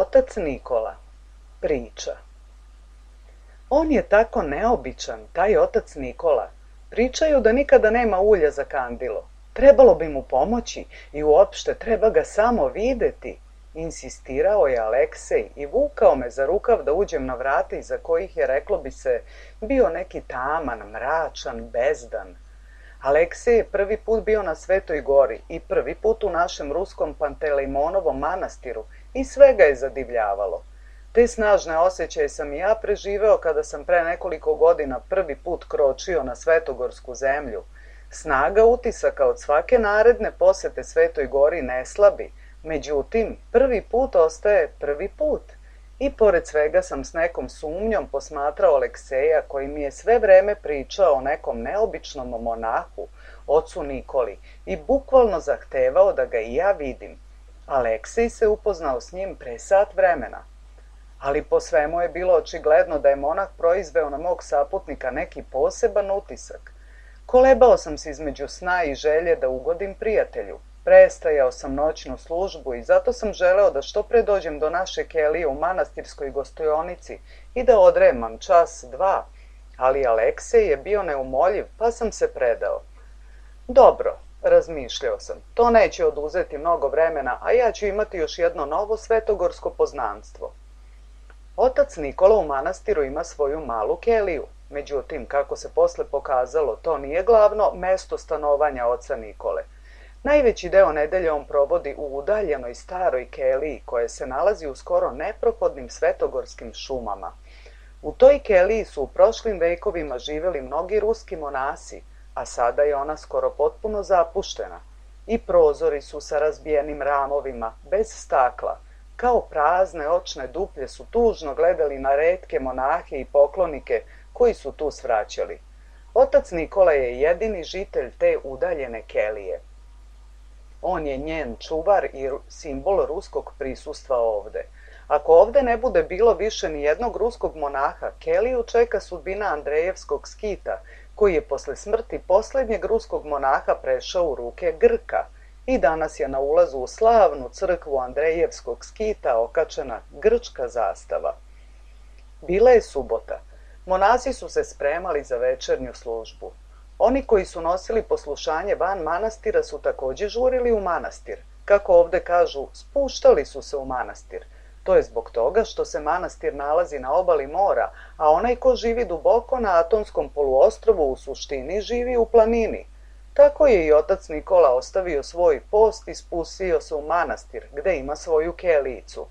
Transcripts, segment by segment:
Otac Nikola. Priča. On je tako neobičan, taj otac Nikola. Pričaju da nikada nema ulja za kandilo. Trebalo bi mu pomoći i uopšte treba ga samo videti. Insistirao je Aleksej i vukao me za rukav da uđem na vrata iza kojih je, reklo bi se, bio neki taman, mračan, bezdan. Aleksej je prvi put bio na Svetoj gori i prvi put u našem ruskom Pantelejmonovom manastiru i sve ga je zadivljavalo. Te snažne osjećaje sam i ja preživeo kada sam pre nekoliko godina prvi put kročio na Svetogorsku zemlju. Snaga utisaka od svake naredne posete Svetoj gori ne slabi, međutim, prvi put ostaje prvi put. I pored svega sam s nekom sumnjom posmatrao Alekseja koji mi je sve vreme pričao o nekom neobičnom monahu, ocu Nikoli, i bukvalno zahtevao da ga i ja vidim. Aleksej se upoznao s njim pre sat vremena. Ali po svemu je bilo očigledno da je monah proizveo na mog saputnika neki poseban utisak. Kolebao sam se između sna i želje da ugodim prijatelju. Prestajao sam noćnu službu i zato sam želeo da što pre dođem do naše kelije u manastirskoj gostionici i da odremam čas, dva, ali Aleksej je bio neumoljiv, pa sam se predao. Dobro, razmišljao sam, to neće oduzeti mnogo vremena, a ja ću imati još jedno novo svetogorsko poznanstvo. Otac Nikola u manastiru ima svoju malu keliju, međutim, kako se posle pokazalo, to nije glavno mesto stanovanja oca Nikole. Najveći deo nedelje on provodi u udaljenoj staroj keliji koja se nalazi u skoro neprohodnim svetogorskim šumama. U toj keliji su u prošlim vekovima živeli mnogi ruski monasi, a sada je ona skoro potpuno zapuštena. I prozori su sa razbijenim ramovima, bez stakla. Kao prazne očne duplje su tužno gledali na retke monahe i poklonike koji su tu svraćali. Otac Nikola je jedini žitelj te udaljene kelije. On je njen čuvar i simbol ruskog prisustva ovde. Ako ovde ne bude bilo više ni jednog ruskog monaha, keliju čeka sudbina Andrejevskog skita, koji je posle smrti poslednjeg ruskog monaha prešao u ruke Grka i danas je na ulazu u slavnu crkvu Andrejevskog skita okačena grčka zastava. Bila je subota. Monasi su se spremali za večernju službu. Oni koji su nosili poslušanje van manastira su takođe žurili u manastir. Kako ovde kažu, spuštali su se u manastir. To je zbog toga što se manastir nalazi na obali mora, a onaj ko živi duboko na Atonskom poluostrvu u suštini živi u planini. Tako je i otac Nikola ostavio svoj post i spustio se u manastir, gde ima svoju kelijicu.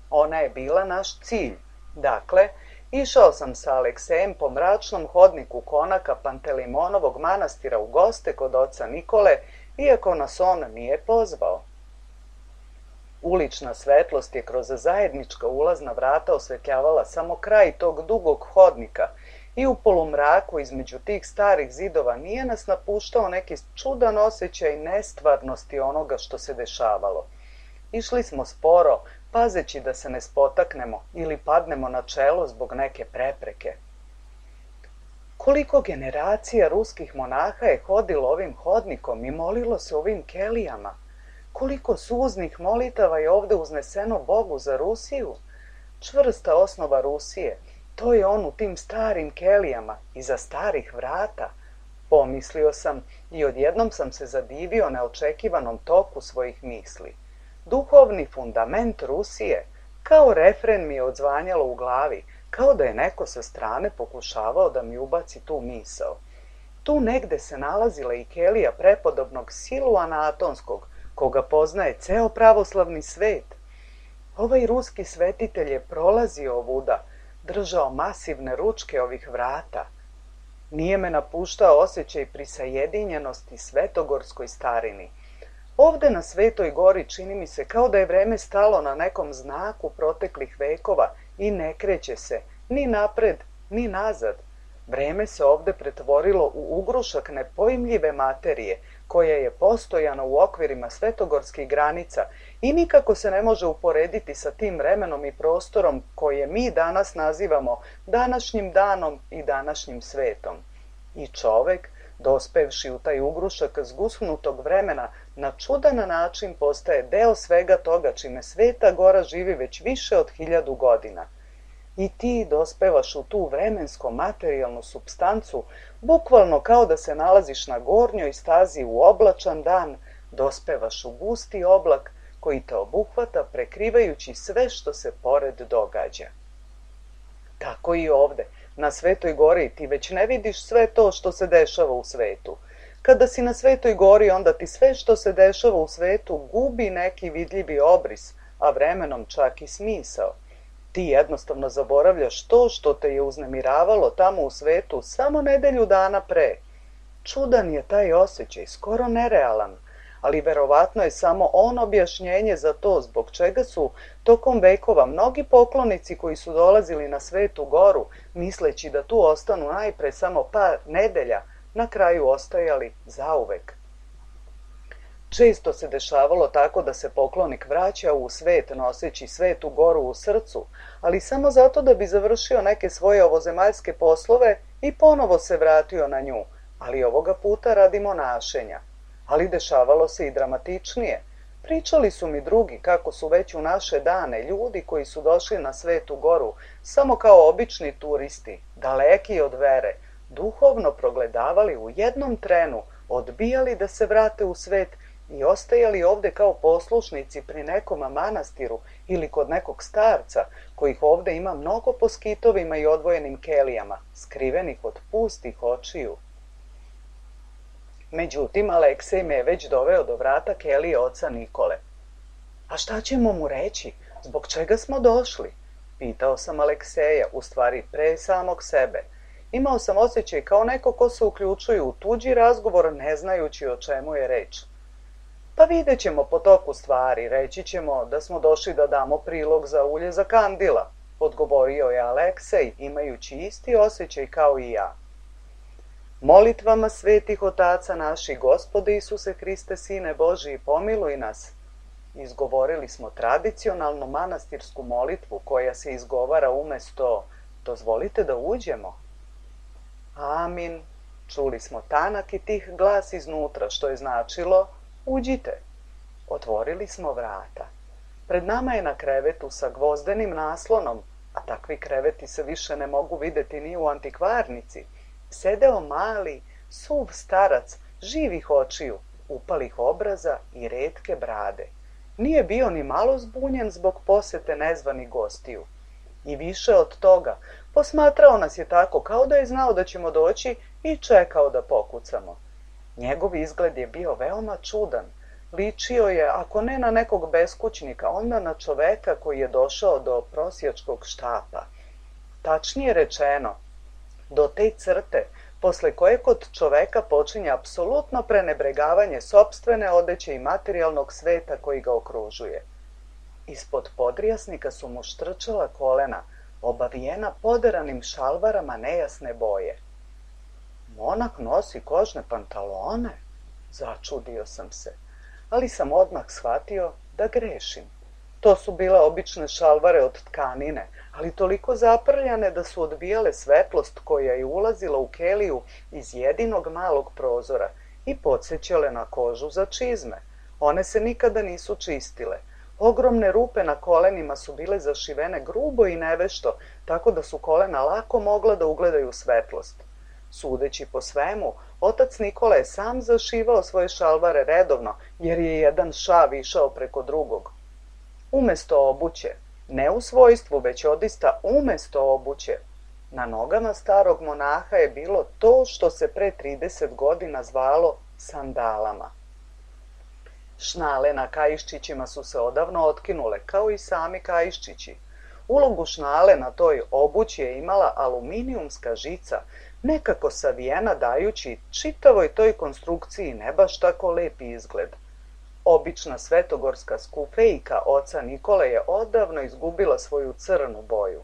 Ona je bila naš cilj. Dakle, išao sam sa Aleksejem po mračnom hodniku konaka Pantelejmonovog manastira u goste kod oca Nikole, iako nas on nije pozvao. Ulična svetlost je kroz zajednička ulazna vrata osvetljavala samo kraj tog dugog hodnika i u polumraku između tih starih zidova nije nas napuštao neki čudan osjećaj nestvarnosti onoga što se dešavalo. Išli smo sporo, pazeći da se ne spotaknemo ili padnemo na čelo zbog neke prepreke. Koliko generacija ruskih monaha je hodilo ovim hodnikom i molilo se ovim kelijama? Koliko suznih molitava je ovde uzneseno Bogu za Rusiju? Čvrsta osnova Rusije, to je on u tim starim kelijama, iza starih vrata. Pomislio sam i odjednom sam se zadivio neočekivanom toku svojih misli. Duhovni fundament Rusije, kao refren mi je odzvanjalo u glavi, kao da je neko sa strane pokušavao da mi ubaci tu misao. Tu negde se nalazila i kelija prepodobnog Siluana Atonskog, koga poznaje ceo pravoslavni svet. Ovaj ruski svetitelj je prolazio ovuda, držao masivne ručke ovih vrata. Nije me napuštao osjećaj prisajedinjenosti svetogorskoj starini. Ovde na Svetoj gori čini mi se kao da je vreme stalo na nekom znaku proteklih vekova i ne kreće se ni napred, ni nazad. Vreme se ovde pretvorilo u ugrušak nepojmljive materije, koja je postojana u okvirima svetogorskih granica i nikako se ne može uporediti sa tim vremenom i prostorom koje mi danas nazivamo današnjim danom i današnjim svetom. I čovek, dospevši u taj ugrušak zgusnutog vremena, na čudan način postaje deo svega toga čime Sveta Gora živi već više od 1000 godina. I ti dospevaš u tu vremensko-materijalnu supstancu, bukvalno kao da se nalaziš na gornjoj stazi u oblačan dan, dospevaš u gusti oblak koji te obuhvata prekrivajući sve što se pored događa. Tako i ovde, na Svetoj Gori, ti već ne vidiš sve to što se dešava u svetu. Kada si na Svetoj Gori, onda ti sve što se dešava u svetu gubi neki vidljivi obris, a vremenom čak i smisao. Ti jednostavno zaboravljaš to što te je uznemiravalo tamo u svetu samo nedelju dana pre. Čudan je taj osjećaj, skoro nerealan, ali verovatno je samo on objašnjenje za to zbog čega su tokom vekova mnogi poklonici koji su dolazili na Svetu Goru, misleći da tu ostanu najpre samo par nedelja, na kraju ostajali zauvek. Često se dešavalo tako da se poklonik vraća u svet noseći Svetu Goru u srcu, ali samo zato da bi završio neke svoje ovozemaljske poslove i ponovo se vratio na nju, ali ovoga puta radi monašenja. Ali dešavalo se i dramatičnije. Pričali su mi drugi kako su već u naše dane ljudi koji su došli na Svetu Goru samo kao obični turisti, daleki od vere, duhovno progledavali u jednom trenu, odbijali da se vrate u svet i ostajali ovde kao poslušnici pri nekom manastiru ili kod nekog starca, kojih ovde ima mnogo po skitovima i odvojenim kelijama, skrivenih od pustih očiju. Međutim, Aleksej me je već doveo do vrata kelije oca Nikole. A šta ćemo mu reći? Zbog čega smo došli? Pitao sam Alekseja, u stvari pre samog sebe. Imao sam osjećaj kao neko ko se uključuje u tuđi razgovor ne znajući o čemu je reč. Pa vidjet ćemo po toku stvari, reći ćemo da smo došli da damo prilog za ulje za kandila, odgovorio je Aleksej, imajući isti osjećaj kao i ja. Molitvama svetih otaca naših, Gospode Isuse Hriste, Sine Božiji, pomiluj nas. Izgovorili smo tradicionalnu manastirsku molitvu koja se izgovara umesto dozvolite da uđemo. Amin. Čuli smo tanak i tih glas iznutra, što je značilo uđite. Otvorili smo vrata. Pred nama je na krevetu sa gvozdenim naslonom, a takvi kreveti se više ne mogu videti ni u antikvarnici, sedeo mali, suv starac, živih očiju, upalih obraza i retke brade. Nije bio ni malo zbunjen zbog posete nezvanih gostiju. I više od toga, posmatrao nas je tako kao da je znao da ćemo doći i čekao da pokucamo. Njegov izgled je bio veoma čudan. Ličio je, ako ne na nekog beskućnika, onda na čoveka koji je došao do prosjačkog štapa. Tačnije rečeno, do te crte, posle koje kod čoveka počinje apsolutno prenebregavanje sopstvene odeće i materijalnog sveta koji ga okružuje. Ispod podrijasnika su mu štrčala kolena, obavijena poderanim šalvarama nejasne boje. Monah nosi kožne pantalone? Začudio sam se, ali sam odmah shvatio da grešim. To su bile obične šalvare od tkanine, ali toliko zaprljane da su odbijale svetlost koja je ulazila u keliju iz jedinog malog prozora i podsjećale na kožu za čizme. One se nikada nisu čistile. Ogromne rupe na kolenima su bile zašivene grubo i nevešto, tako da su kolena lako mogla da ugledaju svetlost. Sudeći po svemu, otac Nikola je sam zašivao svoje šalvare redovno, jer je jedan šav išao preko drugog. Umesto obuće, ne u svojstvu, već odista umesto obuće, na nogama starog monaha je bilo to što se pre 30 godina zvalo sandalama. Šnale na kaiščićima su se odavno otkinule, kao i sami kaiščići. Ulogu šnale na toj obući je imala aluminijumska žica, nekako savijena dajući čitavoj toj konstrukciji ne baš tako lep izgled. Obična svetogorska skufejka oca Nikole je odavno izgubila svoju crnu boju.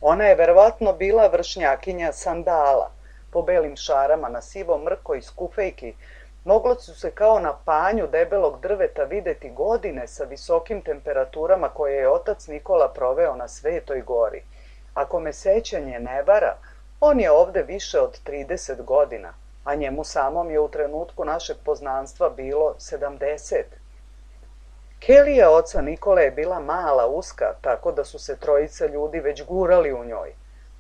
Ona je verovatno bila vršnjakinja sandala. Po belim šarama na sivom mrkoj skufejki moglo su se kao na panju debelog drveta videti godine sa visokim temperaturama koje je otac Nikola proveo na Svetoj Gori. Ako me sećanje ne vara, on je ovde više od 30 godina, a njemu samom je u trenutku našeg poznanstva bilo 70. Kelija oca Nikole je bila mala, uska, tako da su se trojica ljudi već gurali u njoj.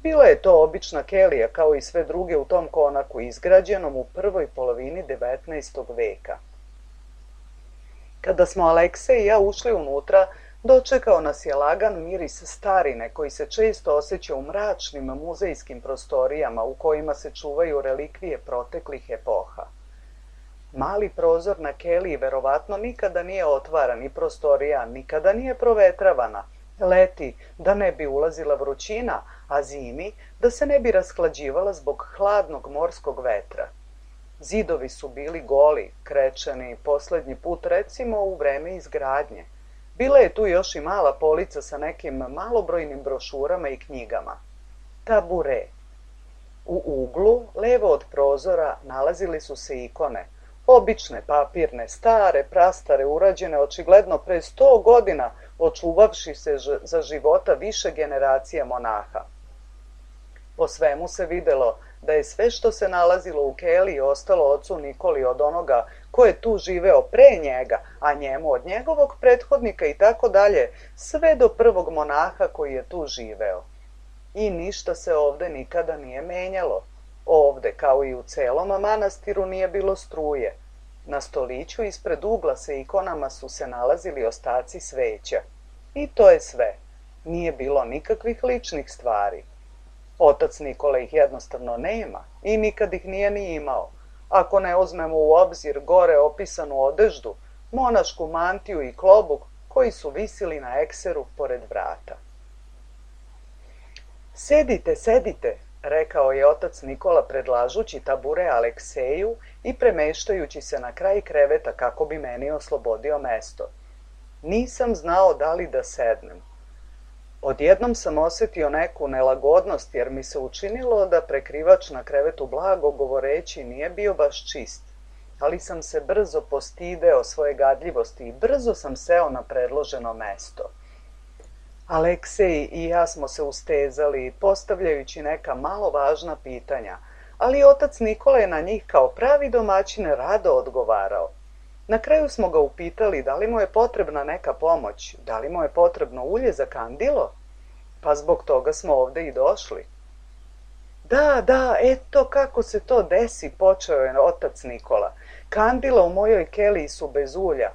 Bila je to obična kelija, kao i sve druge u tom konaku, izgrađenom u prvoj polovini 19. veka. Kada smo Aleksej i ja ušli unutra, dočekao nas je lagan miris starine koji se često osjeća u mračnim muzejskim prostorijama u kojima se čuvaju relikvije proteklih epoha. Mali prozor na keliji verovatno nikada nije otvaran i prostorija nikada nije provetravana. Leti da ne bi ulazila vrućina, a zimi da se ne bi rashlađivala zbog hladnog morskog vetra. Zidovi su bili goli, krečeni, poslednji put recimo u vreme izgradnje. Bila je tu još i mala polica sa nekim malobrojnim brošurama i knjigama. Tabure. U uglu, levo od prozora, nalazili su se ikone. Obične, papirne, stare, prastare, urađene očigledno pre 100 godina, očuvavši se za života više generacija monaha. Po svemu se videlo da je sve što se nalazilo u keliji ostalo ocu Nikoli od onoga ko je tu živeo pre njega, a njemu od njegovog prethodnika i tako dalje, sve do prvog monaha koji je tu živeo. I ništa se ovde nikada nije menjalo. Ovde, kao i u celom manastiru, nije bilo struje. Na stoliću ispred ugla sa ikonama su se nalazili ostaci sveća. I to je sve. Nije bilo nikakvih ličnih stvari. Otac Nikola ih jednostavno nema i nikad ih nije ni imao. Ako ne uzmemo u obzir gore opisanu odeždu, monašku mantiju i klobuk koji su visili na ekseru pored vrata. Sedite, sedite, rekao je otac Nikola predlažući tabure Alekseju i premeštajući se na kraj kreveta kako bi meni oslobodio mesto. Nisam znao da li da sednem. Odjednom sam osjetio neku nelagodnost jer mi se učinilo da prekrivač na krevetu blago govoreći nije bio baš čist, ali sam se brzo postideo svoje gadljivosti i brzo sam seo na predloženo mesto. Aleksej i ja smo se ustezali, postavljajući neka malo važna pitanja, ali otac Nikola je na njih kao pravi domaćin rado odgovarao. Na kraju smo ga upitali da li mu je potrebna neka pomoć, da li mu je potrebno ulje za kandilo, pa zbog toga smo ovde i došli. Da, eto kako se to desi, počeo je otac Nikola. Kandila u mojoj keliji su bez ulja,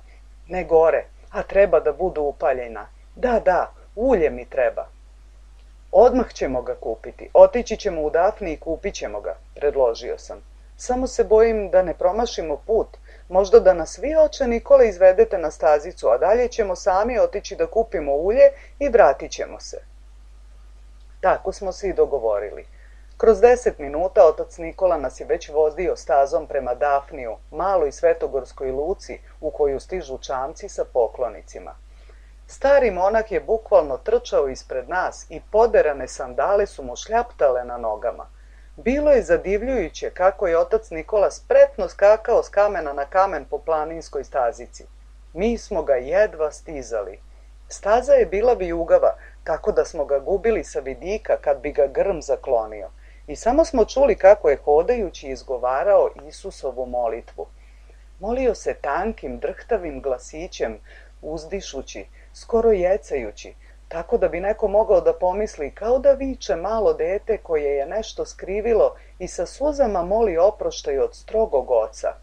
ne gore, a treba da budu upaljena. Da, ulje mi treba. Odmah ćemo ga kupiti, otići ćemo u Dafni i kupit ćemo ga, predložio sam. Samo se bojim da ne promašimo put, možda da nas vi, oče Nikola, izvedete na stazicu, a dalje ćemo sami otići da kupimo ulje i vratit ćemo se. Tako smo se i dogovorili. Kroz 10 minuta otac Nikola nas je već vozio stazom prema Dafniju, maloj svetogorskoj luci u koju stižu čamci sa poklonicima. Stari monah je bukvalno trčao ispred nas i poderane sandale su mu šljaptale na nogama. Bilo je zadivljujuće kako je otac Nikola spretno skakao s kamena na kamen po planinskoj stazici. Mi smo ga jedva stizali. Staza je bila vijugava, tako da smo ga gubili sa vidika kad bi ga grm zaklonio. I samo smo čuli kako je hodajući izgovarao Isusovu molitvu. Molio se tankim, drhtavim glasićem, uzdišući, skoro jecajući, tako da bi neko mogao da pomisli kao da viče malo dete koje je nešto skrivilo i sa suzama moli oproštaj od strogog oca.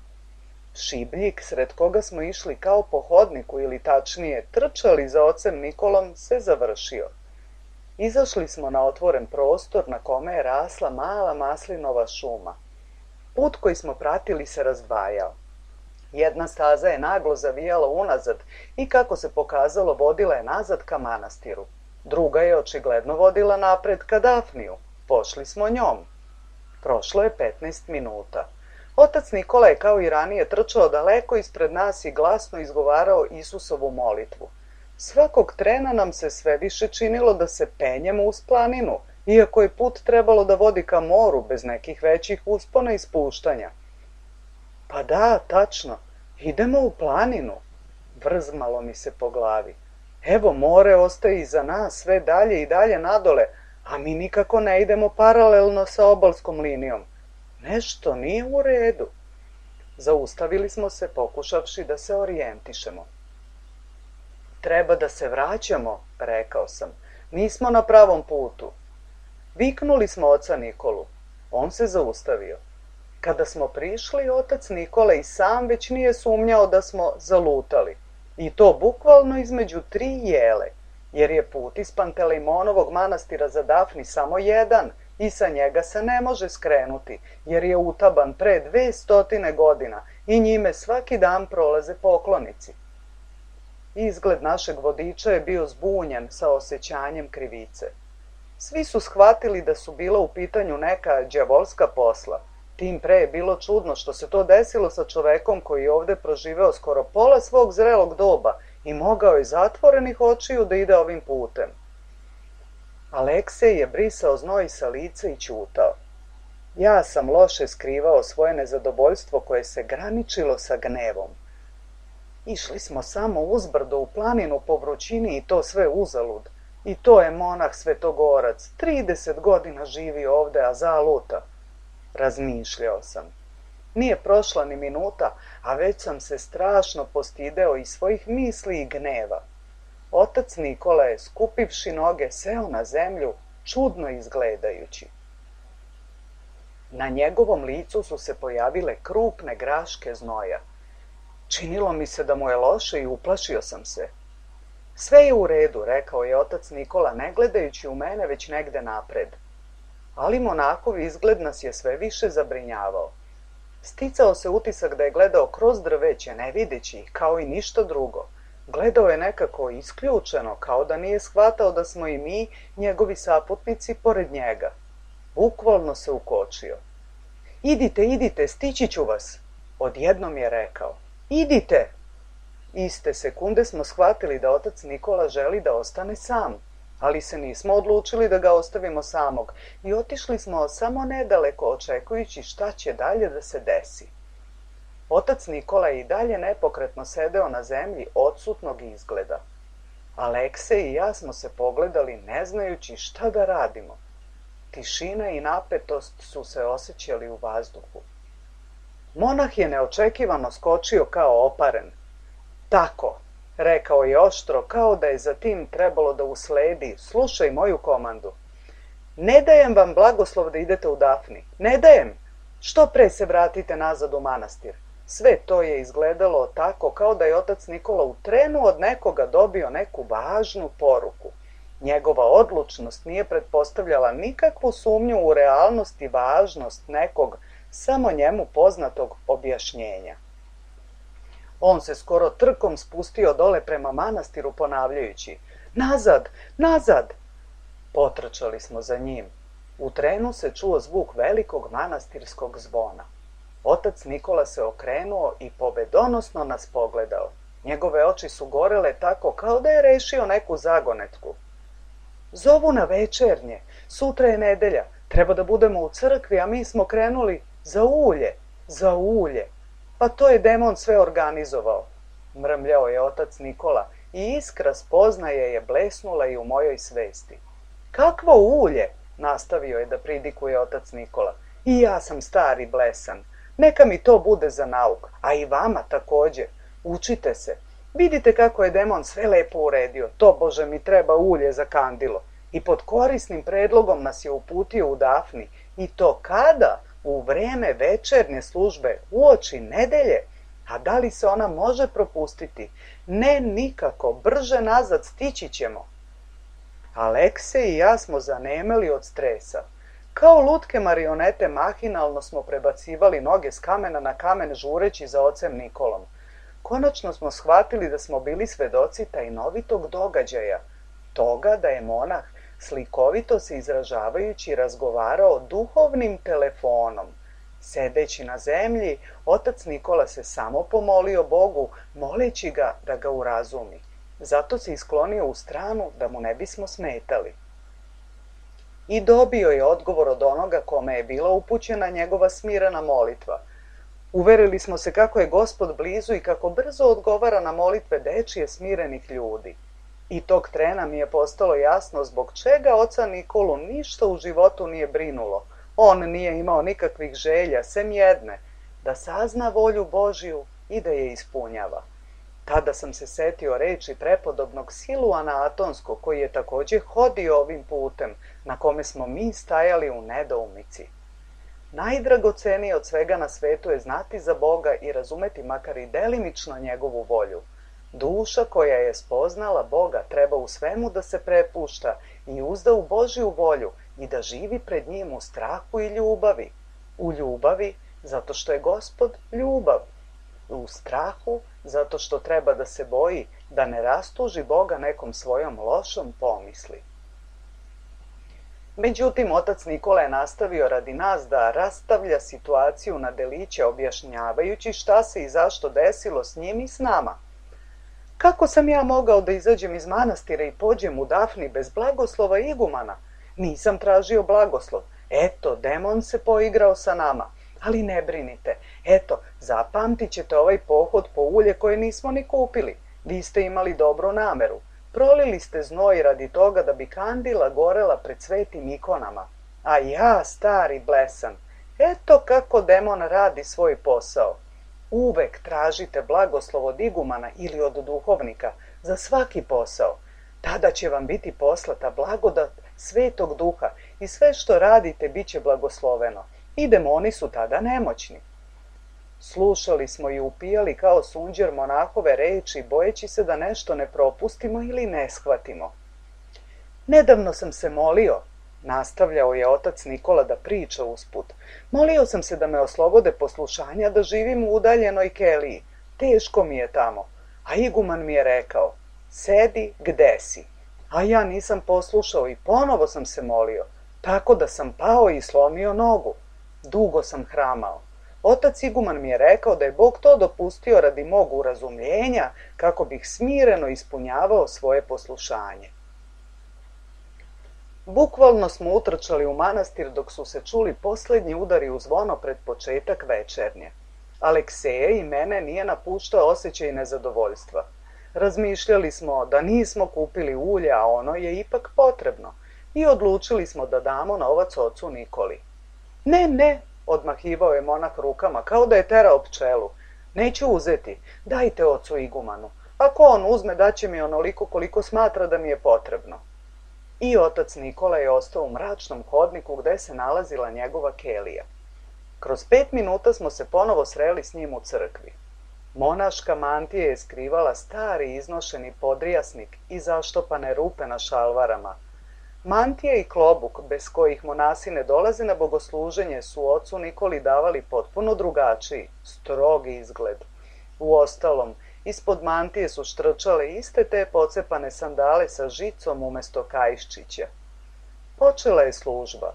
Šibljik, sred koga smo išli kao po hodniku ili tačnije trčali za ocem Nikolom, se završio. Izašli smo na otvoren prostor na kome je rasla mala maslinova šuma. Put koji smo pratili se razdvajao. Jedna staza je naglo zavijala unazad i kako se pokazalo vodila je nazad ka manastiru. Druga je očigledno vodila napred ka Dafniju. Pošli smo njom. Prošlo je 15 minuta. Otac Nikola je kao i ranije trčao daleko ispred nas i glasno izgovarao Isusovu molitvu. Svakog trena nam se sve više činilo da se penjemo uz planinu, iako je put trebalo da vodi ka moru bez nekih većih uspona i spuštanja. Pa da, tačno, idemo u planinu. Vrzmalo mi se po glavi. Evo, more ostaje iza nas sve dalje i dalje nadole, a mi nikako ne idemo paralelno sa obalskom linijom. Nešto nije u redu. Zaustavili smo se pokušavši da se orijentišemo. Treba da se vraćamo, rekao sam. Nismo na pravom putu. Viknuli smo oca Nikolu. On se zaustavio. Kada smo prišli, otac Nikola i sam već nije sumnjao da smo zalutali. I to bukvalno između 3 jele, jer je put iz Pantelejmonovog manastira za Dafni samo jedan i sa njega se ne može skrenuti, jer je utaban pre 200 godina i njime svaki dan prolaze poklonici. Izgled našeg vodiča je bio zbunjen sa osjećanjem krivice. Svi su shvatili da su bila u pitanju neka đavolska posla. Tim pre je bilo čudno što se to desilo sa čovekom koji je ovde proživeo skoro pola svog zrelog doba i mogao je zatvorenih očiju da ide ovim putem. Aleksej je brisao znoj sa lica i ćutao. Ja sam loše skrivao svoje nezadovoljstvo koje se graničilo sa gnevom. Išli smo samo uzbrdo u planinu po vrućini i to sve uzalud. I to je monah Svetogorac, 30 godina živi ovde, a zaluta. Razmišljao sam. Nije prošla ni minuta, a već sam se strašno postideo i svojih misli i gneva. Otac Nikola je, skupivši noge, seo na zemlju, čudno izgledajući. Na njegovom licu su se pojavile krupne graške znoja. Činilo mi se da mu je loše i uplašio sam se. Sve je u redu, rekao je otac Nikola, ne gledajući u mene, već negde napred. Ali monahov izgled nas je sve više zabrinjavao. Sticao se utisak da je gledao kroz drveće, ne videći ih, kao i ništa drugo. Gledao je nekako isključeno, kao da nije shvatao da smo i mi, njegovi saputnici, pored njega. Bukvalno se ukočio. Idite, idite, stići ću vas, odjednom je rekao. Idite! Iste sekunde smo shvatili da otac Nikola želi da ostane sam, ali se nismo odlučili da ga ostavimo samog i otišli smo samo nedaleko očekujući šta će dalje da se desi. Otac Nikola je i dalje nepokretno sedeo na zemlji odsutnog izgleda. Aleksej i ja smo se pogledali ne znajući šta da radimo. Tišina i napetost su se osjećali u vazduhu. Monah je neočekivano skočio kao oparen. Tako, rekao je oštro, kao da je za tim trebalo da usledi. Slušaj moju komandu. Ne dajem vam blagoslov da idete u Dafni. Ne dajem. Što pre se vratite nazad u manastir. Sve to je izgledalo tako kao da je otac Nikola u trenu od nekoga dobio neku važnu poruku. Njegova odlučnost nije pretpostavljala nikakvu sumnju u realnost i važnost nekog samo njemu poznatog objašnjenja. On se skoro trkom spustio dole prema manastiru ponavljajući: Nazad, nazad! Potrčali smo za njim. U trenu se čuo zvuk velikog manastirskog zvona. Otac Nikola se okrenuo i pobedonosno nas pogledao. Njegove oči su gorele tako kao da je rešio neku zagonetku. Zovu na večernje, sutra je nedelja, treba da budemo u crkvi, a mi smo krenuli za ulje, za ulje. Pa to je demon sve organizovao, mrmljao je otac Nikola i iskra spoznaje je blesnula i u mojoj svesti. Kakvo ulje, nastavio je da pridikuje otac Nikola. I ja sam star i blesan. Neka mi to bude za nauk, a i vama takođe. Učite se. Vidite kako je demon sve lepo uredio. To, Bože, mi treba ulje za kandilo. I pod korisnim predlogom nas je uputio u Dafni. I to kada? U vreme večernje službe, uoči nedelje. A da li se ona može propustiti? Ne, nikako. Brže nazad stići ćemo. Aleksej i ja smo zanemeli od stresa. Kao lutke marionete mahinalno smo prebacivali noge s kamena na kamen žureći za ocem Nikolom. Konačno smo shvatili da smo bili svedoci tajnovitog događaja, toga da je monah, slikovito se izražavajući, razgovarao duhovnim telefonom. Sedeći na zemlji, otac Nikola se samo pomolio Bogu, moleći ga da ga urazumi. Zato se isklonio u stranu da mu ne bismo smetali. I dobio je odgovor od onoga kome je bila upućena njegova smirena molitva. Uverili smo se kako je Gospod blizu i kako brzo odgovara na molitve dečije smirenih ljudi. I tog trena mi je postalo jasno zbog čega oca Nikolu ništa u životu nije brinulo. On nije imao nikakvih želja, sem jedne, da sazna volju Božju i da je ispunjava. Tada sam se setio reči prepodobnog Siluana Atonskog, koji je također hodio ovim putem, na kome smo mi stajali u nedoumici. Najdragocenije od svega na svetu je znati za Boga i razumeti makar i delimično njegovu volju. Duša koja je spoznala Boga treba u svemu da se prepušta i uzda u Božju volju i da živi pred njim u strahu i ljubavi. U ljubavi, zato što je Gospod ljubav. U strahu, zato što treba da se boji da ne rastuži Boga nekom svojom lošom pomisli. Međutim, otac Nikola je nastavio radi nas da rastavlja situaciju na deliće, objašnjavajući šta se i zašto desilo s njim i s nama. Kako sam ja mogao da izađem iz manastira i pođem u Dafni bez blagoslova igumana? Nisam tražio blagoslov. Eto, demon se poigrao sa nama. Ali ne brinite. Eto, zapamtit ćete ovaj pohod po ulje koje nismo ni kupili. Vi ste imali dobru nameru. Prolili ste znoj radi toga da bi kandila gorela pred svetim ikonama. A ja, stari blesan, eto kako demon radi svoj posao. Uvek tražite blagoslov od igumana ili od duhovnika za svaki posao. Tada će vam biti poslata blagodat Svetog Duha i sve što radite bit će blagosloveno. I demoni su tada nemoćni. Slušali smo i upijali kao sunđer monahove reči, bojeći se da nešto ne propustimo ili ne shvatimo. Nedavno sam se molio, nastavljao je otac Nikola da priča usput. Molio sam se da me oslobode poslušanja da živim u udaljenoj keliji. Teško mi je tamo. A iguman mi je rekao, sedi gde si. A ja nisam poslušao i ponovo sam se molio, tako da sam pao i slomio nogu. Dugo sam hramao. Otac iguman mi je rekao da je Bog to dopustio radi mog urazumljenja, kako bih smireno ispunjavao svoje poslušanje. Bukvalno smo utrčali u manastir dok su se čuli posljednji udari u zvono pred početak večernje. Alekseja i mene nije napuštao osjećaj nezadovoljstva. Razmišljali smo da nismo kupili ulje, a ono je ipak potrebno, i odlučili smo da damo novac ocu Nikoli. Ne, odmahivao je monah rukama, kao da je terao pčelu. Neću uzeti, dajte ocu igumanu. Ako on uzme, daće mi onoliko koliko smatra da mi je potrebno. I otac Nikola je ostao u mračnom hodniku gde se nalazila njegova kelija. Kroz 5 minuta smo se ponovo sreli s njim u crkvi. Monaška mantija je skrivala stari iznošeni podrijasnik i zaštopane rupe na šalvarama. Mantija i klobuk, bez kojih monasi ne dolaze na bogosluženje, su ocu Nikoli davali potpuno drugačiji, strogi izgled. Uostalom, ispod mantije su štrčale iste te pocepane sandale sa žicom umesto kaiščića. Počela je služba,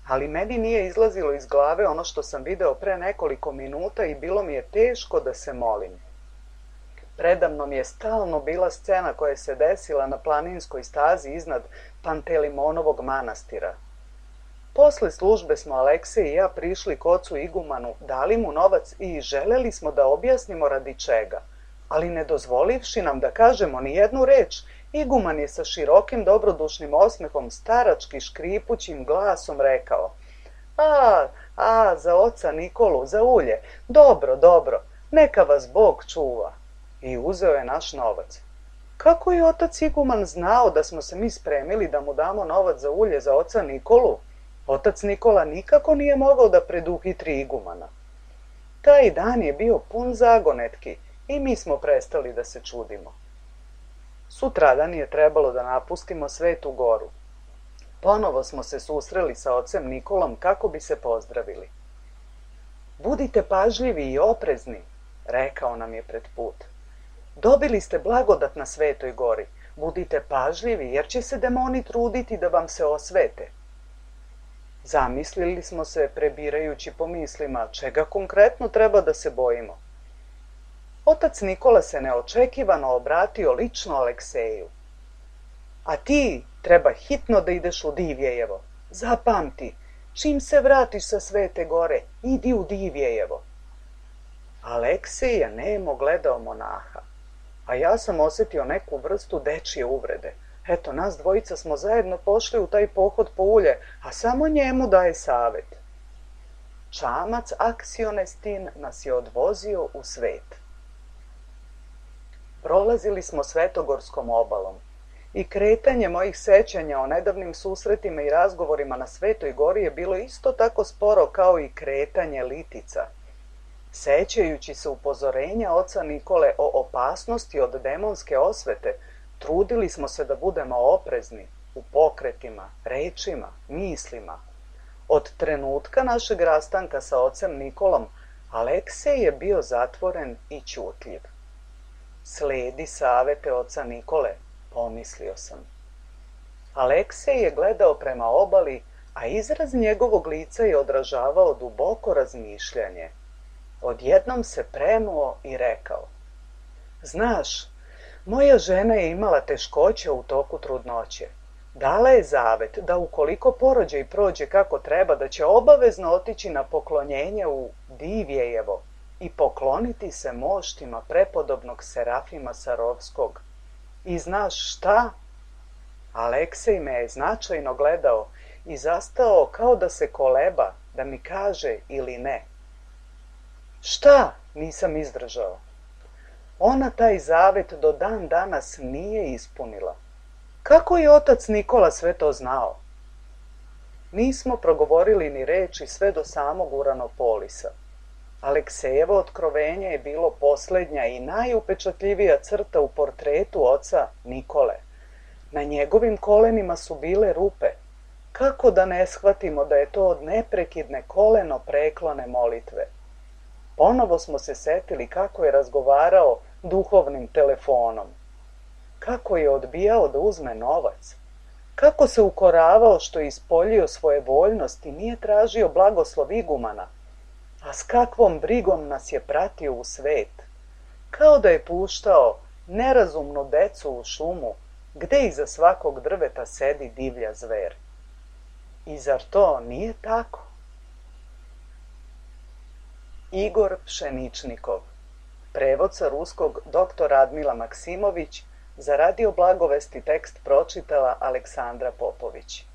ali meni nije izlazilo iz glave ono što sam video pre nekoliko minuta i bilo mi je teško da se molim. Predamnom je stalno bila scena koja se desila na planinskoj stazi iznad Pantelimonovog manastira. Posle službe smo Aleksej i ja prišli k ocu igumanu, dali mu novac i želeli smo da objasnimo radi čega. Ali ne dozvolivši nam da kažemo ni jednu reč, iguman je sa širokim dobrodušnim osmehom starački škripućim glasom rekao: za oca Nikolu, za ulje, dobro, neka vas Bog čuva. I uzeo je naš novac. Kako je otac iguman znao da smo se mi spremili da mu damo novac za ulje za oca Nikolu? Otac Nikola nikako nije mogao da preduhitri igumana. Taj dan je bio pun zagonetki i mi smo prestali da se čudimo. Sutradan je trebalo da napustimo Svetu Goru. Ponovo smo se susreli sa ocem Nikolom kako bi se pozdravili. Budite pažljivi i oprezni, rekao nam je pred put. Dobili ste blagodat na Svetoj Gori. Budite pažljivi jer će se demoni truditi da vam se osvete. Zamislili smo se prebirajući po mislima čega konkretno treba da se bojimo. Otac Nikola se neočekivano obratio lično Alekseju. A ti treba hitno da ideš u Divjejevo. Zapamti, čim se vratiš sa Svete Gore, idi u Divjejevo. Aleksej je nemo gledao monaha, a ja sam osjetio neku vrstu dečje uvrede. Eto, nas dvojica smo zajedno pošli u taj pohod po ulje, a samo njemu daje savet. čamac Aksionestin nas je odvozio u svet. Prolazili smo Svetogorskom obalom i kretanje mojih sećanja o nedavnim susretima i razgovorima na Svetoj gori je bilo isto tako sporo kao i kretanje litica. Sećajući se upozorenja oca Nikole o opasnosti od demonske osvete, trudili smo se da budemo oprezni u pokretima, rečima, mislima. Od trenutka našeg rastanka sa ocem Nikolom, Aleksej je bio zatvoren i ćutljiv. Sledi savete oca Nikole, pomislio sam. Aleksej je gledao prema obali, a izraz njegovog lica je odražavao duboko razmišljanje. Odjednom se prenuo i rekao: Znaš, moja žena je imala teškoće u toku trudnoće. Dala je zavet da ukoliko porođaj prođe kako treba, da će obavezno otići na poklonjenje u Divjejevo i pokloniti se moštima prepodobnog Serafima Sarovskog. I znaš šta? Aleksej me je značajno gledao i zastao kao da se koleba, da mi kaže ili ne. Šta? Nisam izdržao. Ona taj zavet do dan danas nije ispunila. Kako je otac Nikola sve to znao? Nismo progovorili ni reči sve do samog Uranopolisa. Aleksejevo otkrovenje je bilo posljednja i najupečatljivija crta u portretu oca Nikole. Na njegovim kolenima su bile rupe. Kako da ne shvatimo da je to od neprekidne koleno preklone molitve? Ponovo smo se setili kako je razgovarao duhovnim telefonom. Kako je odbijao da uzme novac. Kako se ukoravao što je ispoljio svoje voljnosti i nije tražio blagoslov igumana. A s kakvom brigom nas je pratio u svet. Kao da je puštao nerazumnu decu u šumu, gde iza svakog drveta sedi divlja zver. I zar to nije tako? Igor Pšeničnikov. Prevod sa ruskog dr. Radmila Maksimović. Za Radio Blagovesti tekst pročitala Aleksandra Popović.